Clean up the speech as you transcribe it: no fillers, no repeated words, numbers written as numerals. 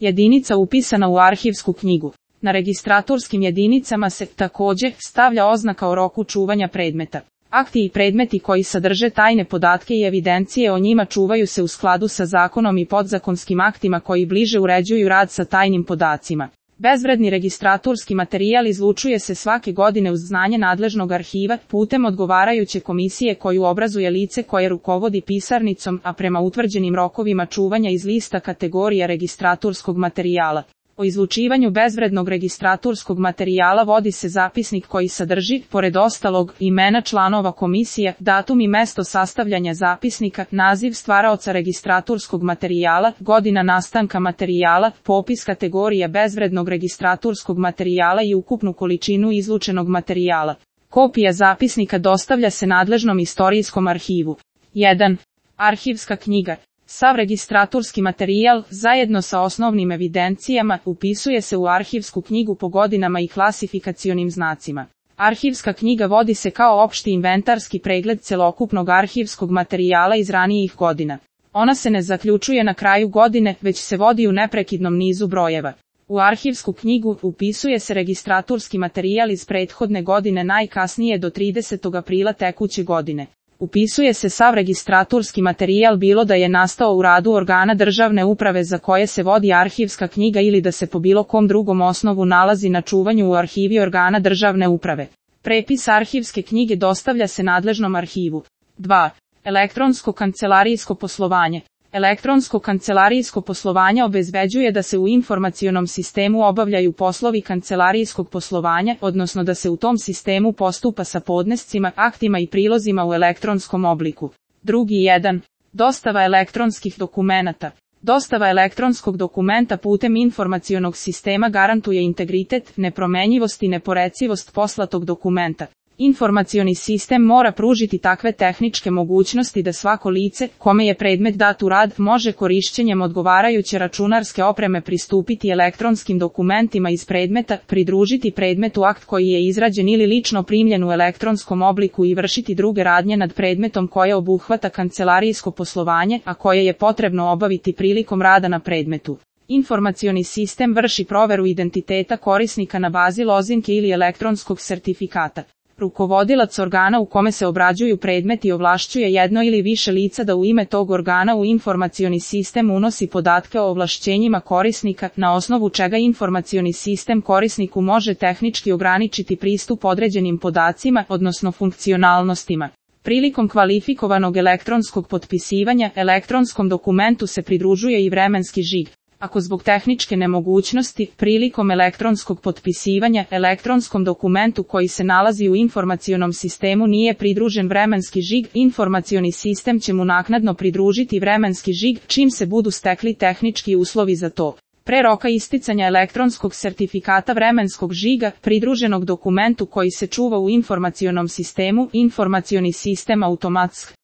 Jedinica upisana u arhivsku knjigu. Na registratorskim jedinicama se, takođe, stavlja oznaka o roku čuvanja predmeta. Akti i predmeti koji sadrže tajne podatke i evidencije o njima čuvaju se u skladu sa zakonom i podzakonskim aktima koji bliže uređuju rad sa tajnim podacima. Bezvredni registratorski materijal izlučuje se svake godine uz znanje nadležnog arhiva putem odgovarajuće komisije koju obrazuje lice koje rukovodi pisarnicom, a prema utvrđenim rokovima čuvanja iz lista kategorija registratorskog materijala. O izlučivanju bezvrednog registratorskog materijala vodi se zapisnik koji sadrži, pored ostalog, imena članova komisije, datum i mesto sastavljanja zapisnika, naziv stvaraoca registratorskog materijala, godina nastanka materijala, popis kategorija bezvrednog registratorskog materijala i ukupnu količinu izlučenog materijala. Kopija zapisnika dostavlja se nadležnom istorijskom arhivu. 1. Arhivska knjiga. Sav registratorski materijal, zajedno sa osnovnim evidencijama, upisuje se u arhivsku knjigu po godinama i klasifikacionim znacima. Arhivska knjiga vodi se kao opšti inventarski pregled celokupnog arhivskog materijala iz ranijih godina. Ona se ne zaključuje na kraju godine, već se vodi u neprekidnom nizu brojeva. U arhivsku knjigu upisuje se registratorski materijal iz prethodne godine najkasnije do 30. aprila tekuće godine. Upisuje se sav registratorski materijal bilo da je nastao u radu organa državne uprave za koje se vodi arhivska knjiga ili da se po bilo kom drugom osnovu nalazi na čuvanju u arhivi organa državne uprave. Prepis arhivske knjige dostavlja se nadležnom arhivu. 2. Elektronsko kancelarijsko poslovanje. Elektronsko kancelarijsko poslovanje obezbeđuje da se u informacionom sistemu obavljaju poslovi kancelarijskog poslovanja, odnosno da se u tom sistemu postupa sa podnescima, aktima i prilozima u elektronskom obliku. 1. Dostava elektronskih dokumenata. Dostava elektronskog dokumenta putem informacionog sistema garantuje integritet, nepromenjivost i neporecivost poslatog dokumenta. Informacioni sistem mora pružiti takve tehničke mogućnosti da svako lice, kome je predmet dat u rad, može korišćenjem odgovarajuće računarske opreme pristupiti elektronskim dokumentima iz predmeta, pridružiti predmetu akt koji je izrađen ili lično primljen u elektronskom obliku i vršiti druge radnje nad predmetom koje obuhvata kancelarijsko poslovanje, a koje je potrebno obaviti prilikom rada na predmetu. Informacioni sistem vrši proveru identiteta korisnika na bazi lozinke ili elektronskog sertifikata. Rukovodilac organa u kome se obrađuju predmeti ovlašćuje jedno ili više lica da u ime tog organa u informacioni sistem unosi podatke o ovlašćenjima korisnika, na osnovu čega informacioni sistem korisniku može tehnički ograničiti pristup određenim podacima, odnosno funkcionalnostima. Prilikom kvalifikovanog elektronskog potpisivanja, elektronskom dokumentu se pridružuje i vremenski žig. Ako zbog tehničke nemogućnosti, prilikom elektronskog potpisivanja, elektronskom dokumentu koji se nalazi u informacionom sistemu nije pridružen vremenski žig, informacioni sistem će mu naknadno pridružiti vremenski žig, čim se budu stekli tehnički uslovi za to. Pre roka isticanja elektronskog sertifikata vremenskog žiga, pridruženog dokumentu koji se čuva u informacionom sistemu, informacioni sistem automatski